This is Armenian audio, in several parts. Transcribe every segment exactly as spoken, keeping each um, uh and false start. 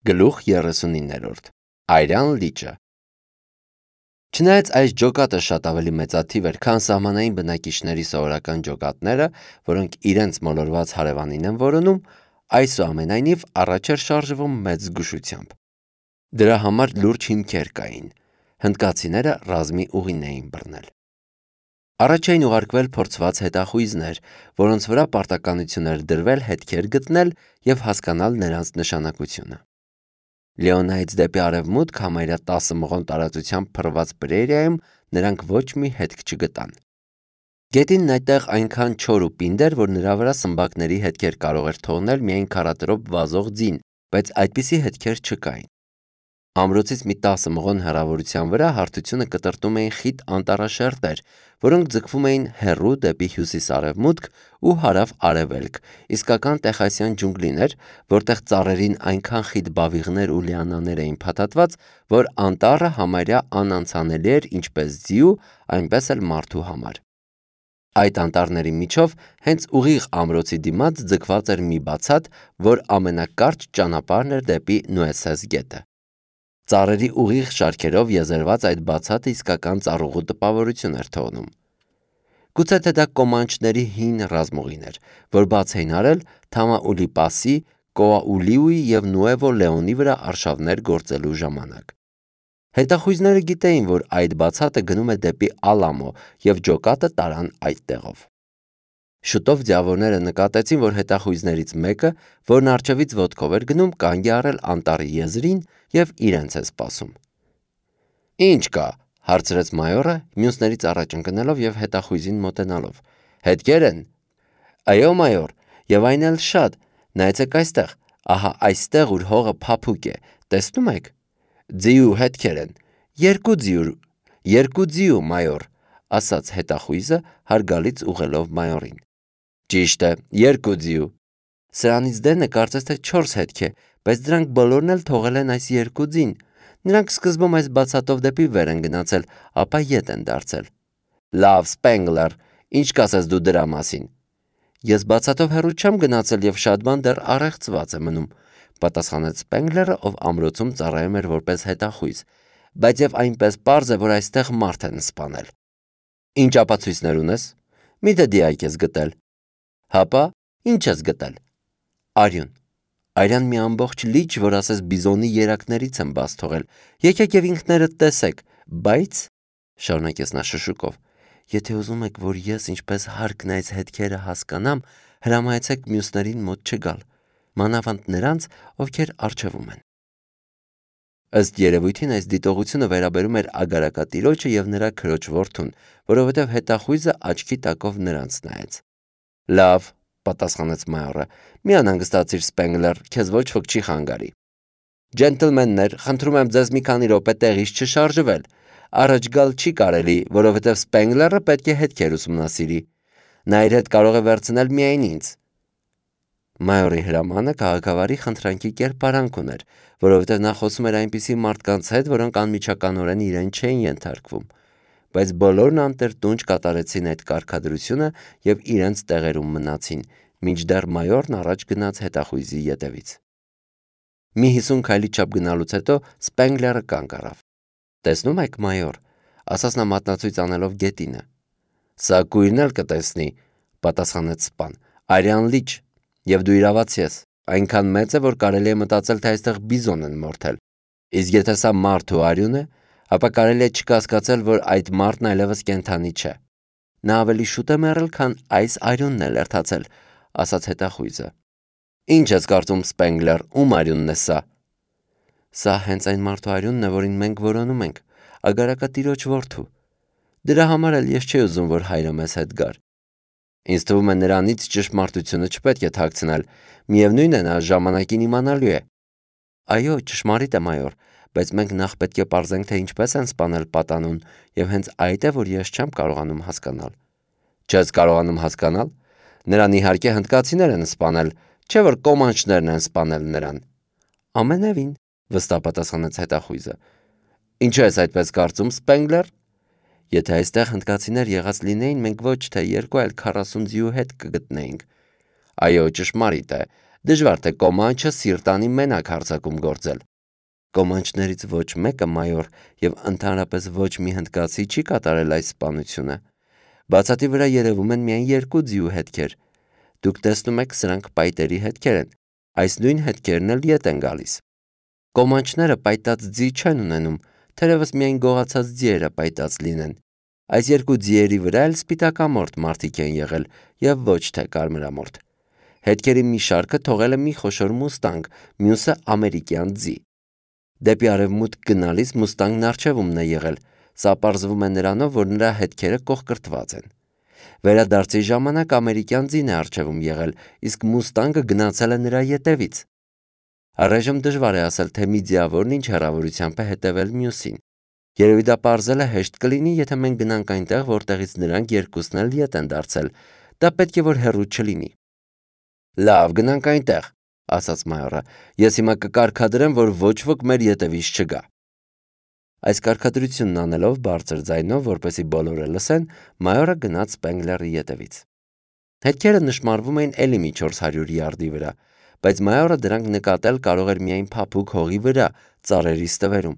Գլուխ երեսունիններորդ Այրան լիճը Չնայած այս ջոկատը շատ ավելի մեծաթիվ էր, քան սահմանային բնակիչների սովորական ջոկատները, որոնք իրենց մոլորված հարևանին են որոնում, այսուամենայնիվ առաջ էր շարժվում մեծ զգուշությամբ։ Դրա համար լուրջ հիմքեր կային։ Հնդկացիները ռազմի ուղին էին բռնել։ Առաջ էին ուղարկվել փորձված հետախույզներ, որոնց վրա պարտականություն էր դրվել հետքեր գտնել և հասկանալ նրանց նշանակությունը։ Լեոնայից դեպի արևմուտք համարյա տասը մղոն տարածությամբ փռված Պրերիայում նրանք ոչ մի հետք չգտան։ Գետինն այդտեղ այնքան չոր ու պինդ էր, որ նրա վրա սմբակների հետքեր կարող էր թողնել միայն քառատրոպ վազող ձին, բայց այդպիսի հետքեր չկային։ Ամրոցից մի տասը մղոն հեռավորության վրա հարթությունը կտրտում էին խիտ անտառաշերտեր, որոնք ձգվում էին հեռու դեպի հյուսիս-արևմուտք ու հարավ-արևելք, իսկական տեխասյան ջունգլին էր, որտեղ ծառերին այնքան խիտ բավիղներ ու լիանաներ էին փաթաթված, որ անտառը համարյա անանցանելի էր ինչպես ձիու, այնպես էլ մարդու համար։ Այդ անտառների միջով հենց ուղիղ ամրոցի դիմաց ձգված էր մի բացատ, որ ամենակարճ ճանապարհն էր դեպի Նուեսես գետը։ Ծառերի ուղիղ շարքերով եզերված այդ բացատը իսկական ծառուղու տպավորություն էր թողնում։ Գուցե թե դա կոմանչների հին ռազմուղին էր, որ բաց էին արել Թամաուլիպասի, Կոաուլիուի և Նուևո Լեոնի վրա արշավներ գործելու ժամանակ։ Հետախույզները գիտեին, որ այդ բացատը գնում է դեպի Ալամո և ջոկատը տարան այդ տեղով։ Շուտով ձիավորները նկատեցին, որ հետախույզներից մեկը, որն առջևից ոտքով էր գնում, կանգ է առել անտառի եզրին և իրենց է սպասում։ «Ի՞նչ կա», հարցրեց մայորը, մյուսներից առաջ ընկնելով և հետախույզին մոտենալով։ «Հետքեր են»։ «Այո, մայոր, և այն էլ շատ, նայեցեք այստեղ, ահա այստեղ, ուր հողը փափուկ է, տեսնում եք։ Ձիու հետքեր են, երկու ձիու, երկու ձիու, մայոր», ասաց հետախույզը, հարգալից ուղղելով մայորին։ «Ճիշտ է, երկու ձիու։ Սրանից դենը կարծես թե չորս հետք է, բայց դրանք բոլորն էլ թողել են այս երկու ձին։ Նրանք սկզբում այս բացատով դեպի վեր են գնացել, ապա ետ են դարձել»։ «Լավ, Սպենգլեր, ինչ կասես դու դրա մասին»։ «Ես բացատով հեռու չեմ գնացել և շատ բան դեռ առեղծված է մնում», պատասխանեց Սպենգլերը, ով ամրոցում ծառայում էր որպես հետախույզ, «բայց և այնպես պարզ է, որ այստեղ մարդ են սպանել»։ «Ինչ ապացույցներ ունես։ Մի՞թե դիակ ես գտել»։ «Հապա, ինչ ես գտել»։ «Արյուն, արյան մի ամբողջ լիճ, որ ասես բիզոնի երակներից եմ բաց թողել, եկեք և ինքներդ տեսեք, բայց», շարունակեց նա շշուկով, «եթե ուզում եք, որ ես ինչպես հարկն է այս հետքերը հասկանամ, հրամայեցեք մյուսներին մոտ չգալ, մանավանդ նրանց, ովքեր առջևում են»։ Ըստ երևույթին այս դիտողությունը վերաբերում էր ագարակատիրոջը և նրա քրոջ որդուն, որովհետև հետախույզը աչքի տակով նրանց նայեց։ «Լավ», պատասխանեց մայորը, «մի անհանգստացիր, Սպենգլեր, քեզ ոչ ոք չի խանգարի։ Ջենտլմեններ, խնդրում եմ ձեզ մի քանի րոպե տեղից չշարժվել։ Առաջ գալ չի կարելի, որովհետև Սպենգլերը պետք է հետքեր ուսումնասիրի։ Նա իր հետ կարող է վերցնել միայն ինձ»։ Մայորի հրամանը քաղաքավարի խնդրանքի կերպարանք ուներ, որովհետև նա խոսում էր այնպիսի մարդկանց հետ, որոնք անմիջականորեն իրեն չէին ենթարկվում, բայց բոլորն անտրտունջ կատարեցին այդ կարգադրությունը և իրենց տեղերում մնացին, մինչդեռ մայորն առաջ գնաց հետախույզի ետևից։ Մի հիսուն քայլի չափ գնալուց հետո Սպենգլերը կանգ առավ։ «Տեսնում եք, մայոր», ասաց նա մատնացույց անելով գետինը։ «Սա կույրն էլ կտեսնի», պատասխանեց սպան, «արյան լիճ, և դու իրավացի ես, այնքան մեծ է, որ կարելի է մտածել, թե այստեղ բիզոն են մորթել։ Իսկ եթե սա մարդ ու արյուն է, ապա կարելի է չկասկածել, որ այդ մարդն այլևս կենդանի չէ։ Նա ավելի շուտ է մեռել, քան այս արյունն է լրթացել», ասաց հետախույզը։ «Ինչ ես կարծում, Սպենգլեր, ում արյունն է սա»։ «Սա հենց այն մարդու արյունն է, որին մենք որոնում ենք, ագարակատիրոջ որդու։ Դրա համար էլ ես չէի ուզում, որ հայրը մեզ հետ գար։ Ինձ թվում է նրանից ճշմարտությունը չպետք է թաքցնել, միևնույն է, նա ժամանակին իմանալու է»։ «Այո, ճշմարիտ է, մայոր, բայց մենք նախ պետք է պարզենք, թե ինչպես են սպանել պատանուն, և հենց այդ է, որ ես չեմ կարողանում հասկանալ»։ «Չես կարողանում հասկանալ։ Նրան իհարկե հնդկացիներ են սպանել, չէ՞ որ կոմանչներն են սպանել նրան»։ «Ամենևին», վստահ պատասխանեց հետախույզը։ «Ինչու ես այդպես կարծում, Սպենգլեր։ Եթե այստեղ հնդկացիներ եղած լինեին, մենք ոչ թե երկու, այլ քառասուն ձիու հետք կգտնեինք»։ «Այո, ճշմարիտ է, Դժվար թե կոմանչը սիրտանի մենակ հարձակում գործել։ Կոմանչներից ոչ մեկը, մայոր, եւ ընդհանրապես ոչ մի հնդկացի չի կատարել այս սպանությունը։ Բացատի վրա երևում են միայն երկու ձիու հետքեր։ Դուք տեսնում եք, սրանք պայտերի հետքեր են։ Այս նույն հետքերն էլ ետ են գալիս։ Կոմանչները պայտած ձի չեն ունենում, թերևս միայն գողացած ձիերը պայտած լինեն։ Այս երկու ձիերի վրա էլ սպիտակամորթ մարդիկ են եղել եւ ոչ թե կարմրամորթ։ Հետքերի մի շարքը թողել է մի խոշոր մուստանգ, մյուսը ամերիկյան ձի։ Դեպի արևմուտք գնալիս մուստանգն առջևումն է եղել, սա պարզվում է նրանով, որ նրա հետքերը կողկրտված են։ Վերադարձի ժամանակ ամերիկյան ձին է առջևում եղել, իսկ մուստանգը գնացել է նրա ետևից։ Առայժմ դժվար է ասել, թե մի ձիավորն ինչ հեռավորությամբ է հետևել մյուսին։ Երևի դա պարզելը հեշտ կլինի, եթե մենք գնանք այնտեղ, որտեղից նրանք երկուսն էլ ետ են դարձել։ Դա պետք է որ հեռու չլինի։ Լավ, գնանք այնտեղ, ասաց մայորը։ Ես հիմա կկարգադրեմ, որ ոչ ոք մեր ետևից չգա։ Այս կարգադրությունն անելով բարձր ձայնով, որպեսզի բոլորը լսեն, մայորը գնաց Սպենգլերի ետևից։ Հետքերը նշմարվում էին էլի մի չորս հարյուր յարդի վրա, բայց մայորը դրանք նկատել կարող էր միայն փափուկ հողի վրա, ծառերի ստվերում։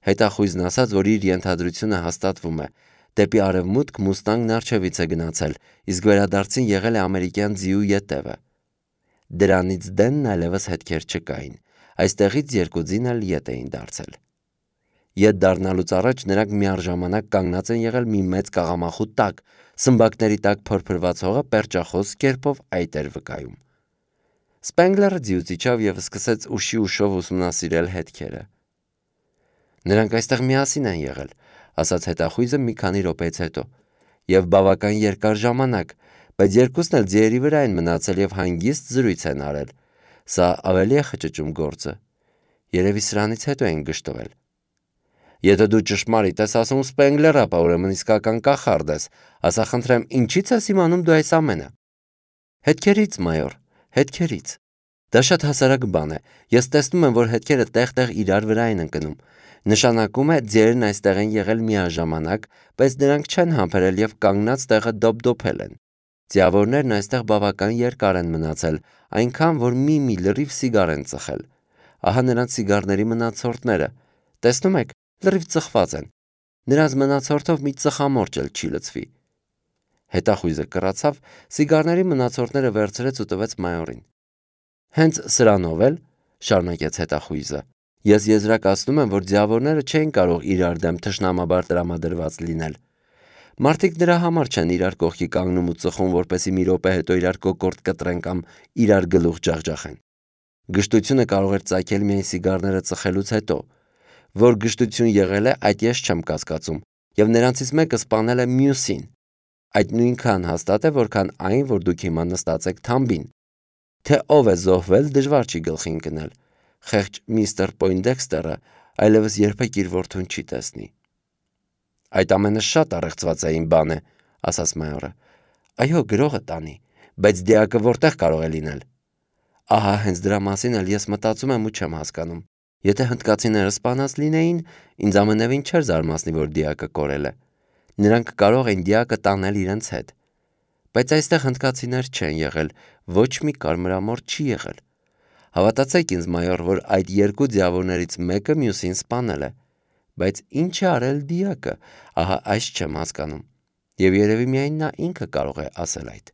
Հետախույզն ասաց, որ իր ենթադրությունը հաստատվում է։ Դեպի արևմուտք մուստանգն առջևից է գնացել, իսկ վերադարձին եղել է ամերիկյան ձիու ետևը։ Դրանից դենն այլևս հետքեր չկային։ Այստեղից երկու ձին էլ ետ էին դարձել։ Ետ դառնալուց առաջ նրանք միառժամանակ կանգնած են եղել մի մեծ կաղամախու տակ, սմբակների տակ փրփրված հողը պերճախոս կերպով այտ էր վկայում։ Սպենգլերը ձիուց իջավ եւ սկսեց ուշի ուշով ուսումնասիրել հետքերը։ Նրանք այստեղ միասին են եղել, ասաց հետախույզը մի քանի րոպեից հետո, եւ բավական երկար ժամանակ, բայց երկուսն էլ ձիերի վրա են մնացել եւ հանգիստ զրույց են արել։ Սա ավելի է խճճում գործը։ Երևի սրանից հետո են գժտվել։ Եթե դու ճշմարիտ ես ասում Սպենգլեր, ապա ուրեմն իսկական կախարդ ես, ասա խնդրեմ, ինչի՞ց ես իմանում դու այս ամենը։ Հետքերից, մայոր, հետքերից։ Դա շատ հասարակ բան է։ Ես տեսնում եմ, որ հետքերը տեղ-տեղ իրար վրա են ընկնում։ Նշանակում է ձիերն այստեղ են եղել միաժամանակ, բայց նրանք չեն համբերել եւ կանգնած տեղը դոպդոփել են։ Ձիավորներն այստեղ բավական երկար են մնացել, այնքան որ մի-մի լրիվ սիգար են ծխել։ Ահա նրանց սիգարների մնացորդները։ Տեսնում եք, լրիվ ծխված են։ Նրանց մնացորդով մի ծխամորճ էլ չի լցվի։ Հետախույզը կռացավ, սիգարների մնացորդները վերցրեց ու տվեց մայորին։ Հենց սրանով էլ, շարունակեց հետախույզը, ես եզրակացնում եմ, որ ձիավորները չէին կարող իրար դեմ թշնամաբար տրամադրված լինել։ Մարդիկ դրա համար չեն իրար կողքի կանգնում ու ծխում, որպեսզի մի րոպե հետո իրար կոկորտ կտրեն կամ իրար գլուխ ջախջախեն։ Գժտությունը կարող էր ծագել միայն սիգարները ծխելուց հետո։ Որ գժտություն եղել է, այդ ես չեմ կասկածում, եւ նրանցից մեկը սպանել է մյուսին։ Այդ նույնքան հաստատ է, որքան այն, որ դուք հիմա նստած եք թամբին։ Թե ով է զոհվել, դժվար չի գլխի ընկնել։ Խեղճ միստր Պոյնդեքստերը այլևս երբեք իր որդուն չի տեսնի։ Այդ ամենը շատ առեղծված է իմ բանը, ասաց մայորը։ Այո, գրողը տանի, բայց դիակը որտեղ կարող է լինել։ Ահա հենց դրա մասին էլ ես մտածում եմ ու չեմ հասկանում։ Եթե հնդկացիները սպանած լինեին, ինձ ամենևին չէր զարմացնի, որ դիակը կորել է։ Նրանք կարող են դիակը տանել իրենց հետ։ Բայց այստեղ հնդկացիներ չեն եղել, ոչ մի կարմրամորթ չի եղել։ Հավատացեք ինձ, մայոր, որ այդ երկու ձիավորներից մեկը մյուսին սպանել է։ Բայց ինչ է արել դիակը, ահա այս չեմ հասկանում։ Եվ երևի միայն նա ինքը կարող է ասել այդ։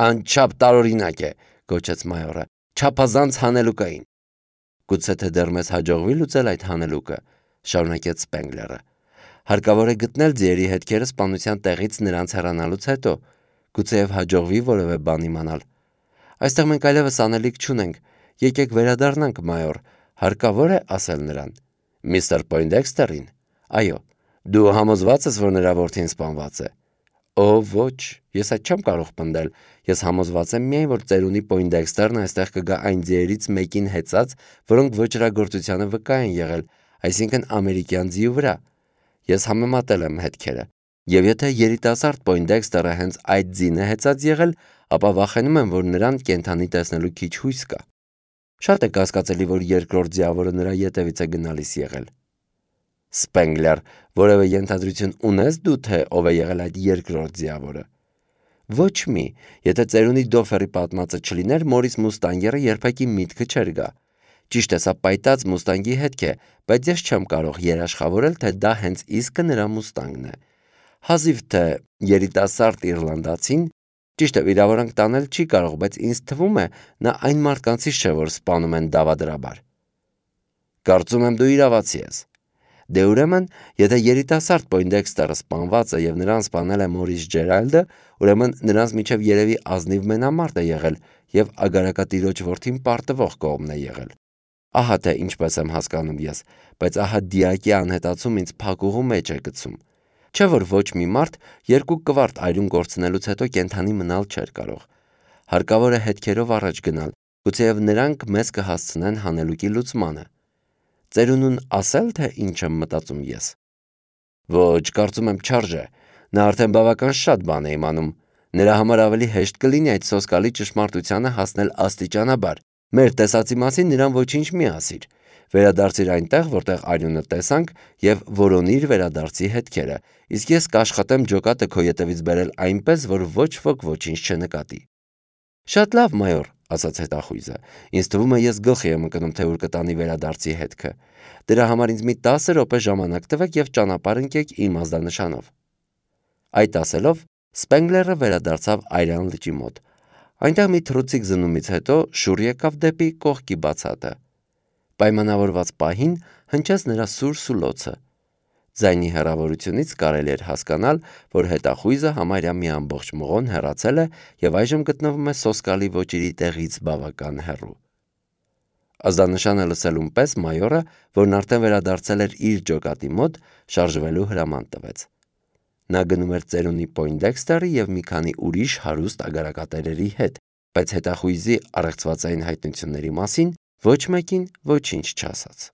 Անչափ տարօրինակ է, գոչեց մայորը, չափազանց հանելուկային։ Գուցե թե դեռ մեզ հաջողվի լուծել այդ հանելուկը, շարունակեց Սպենգլերը։ Հարկավոր է գտնել ձիերի հետքերը սպանության տեղից նրանց հեռանալուց հետո, գուցեև հաջողվի որևէ բան իմանալ։ Այստեղ մենք այլևս անելիք չունենք, եկեք վերադառնանք, մայոր, հարկավոր է ասել նրան։ Միստր Պոյնդեքստերին։ Այո, դու համոզված ես, որ նրա որդին սպանված է։ Օ, ոչ, ես այդ չեմ կարող պնդել։ Ես համոզված եմ միայն, որ ծերունի Պոյնդեքստերն այստեղ կգա այն ձիերից մեկին հեծած, որոնք ոճրագործությանը վկա են եղել, այսինքն ամերիկյան ձիու վրա։ Ես համեմատել եմ հետքերը, եւ եթե երիտասարդ Պոյնդեքստերը հենց այդ ձին է հեծած եղել, ապա վախենում եմ, որ նրան կենդանի տեսնելու քիչ հույս կա։ Շատ է կասկածելի, որ երկրորդ ձիավորը նրա ետևից է գնալիս եղել։ Սպենգլեր, որևէ ենթադրություն ունես դու, թե ով է եղել այդ երկրորդ ձիավորը։ Ոչ մի, եթե ծերունի Դոֆերի պատմածը չլիներ, Մորիս Մուստանգերը երբեք իմ միտքը չէր գա։ Ճիշտ է, սա պայտած Մուստանգի հետք է, բայց ես չեմ կարող երաշխավորել, թե դա հենց իսկը նրա Մուստանգն է։ Հազիվ թե երիտասարդ իռլանդացին, ճիշտ է, վիրավորանք տանել չի կարող, բայց ինձ թվում է, նա այն մարդկանցից չէ, որ սպանում են դավադրաբար։ Կարծում եմ դու իրավացի ես։ Դե ուրեմն, եթե երիտասարդ Պոյնդեքստերը սպանված է եւ նրան սպանել է Մորիս Ջերալդը, ուրեմն նրանց միջև երևի ազնիվ մենամարտ է եղել եւ ագարակատիրոջ որդին պարտվող կողմն է եղել։ Ահա թե ինչպես եմ հասկանում ես, բայց ահա դիակի անհետացում ինձ փակուղու մեջ է գցում։ Չէ որ ոչ մի մարդ երկու կվարտ այրուն կորցնելուց հետո կենթանի մնալ չէր կարող։ Հարկավոր է հետքերով առաջ գնալ, գուցեև նրանք մեզ կհասցնեն հանելուկի լուծմանը։ Ծերունուն ասել, թե ինչ եմ մտածում ես։ Ոչ, կարծում եմ չարժե։ Նա արդեն բավական շատ բան է իմանում։ Նրա համար ավելի հեշտ կլինի այդ սոսկալի ճշմարտությանը հասնել աստիճանաբար։ Մեր տեսածի մասին նրան ոչինչ մի ասիր։ Վերադարձիր այնտեղ, որտեղ այրունը տեսանք, եւ որոնիր վերադարձի հետքերը, իսկ ես կաշխատեմ ջոկատը քո ետևից բերել այնպես, որ ոչ ոք ոչինչ չնկատի։ Շատ լավ, մայոր, ասաց հետախույզը։ Ինձ թվում է ես գլխի եմ ընկնում, թե ուր կտանի վերադարձի հետքը։ Դրա համար ինձ մի տասը րոպե ժամանակ տվեք եւ ճանապարհ ընկեք իմ ազդանշանով։ Այդ ասելով, Սպենգլերը վերադարձավ Այրան լճի մոտ։ Այնտեղ մի թռուցիկ զնումից հետո շուռ եկավ դեպի կողքի բացատը։ Պայմանավորված պահին հնչեց նրա սուր սուլոցը։ Ձայնի հեռավորությունից կարելի էր հասկանալ, որ հետախույզը համարյա մի ամբողջ մղոն հեռացել է եւ այժմ գտնվում է սոսկալի ոճիրի տեղից բավական հեռու։ Ազդանշանը լսելուն պես մայորը, որն արդեն վերադարձել էր իր ջոկատի մոտ, շարժվելու հրաման տվեց։ Նա գնում էր ծերունի Պոյնդեքստերի եւ մի քանի ուրիշ հարուստ ագարակատերերի հետ, բայց հետախույզի առեղծվածային հայտնությունների մասին ոչ մեկին ոչինչ չասաց։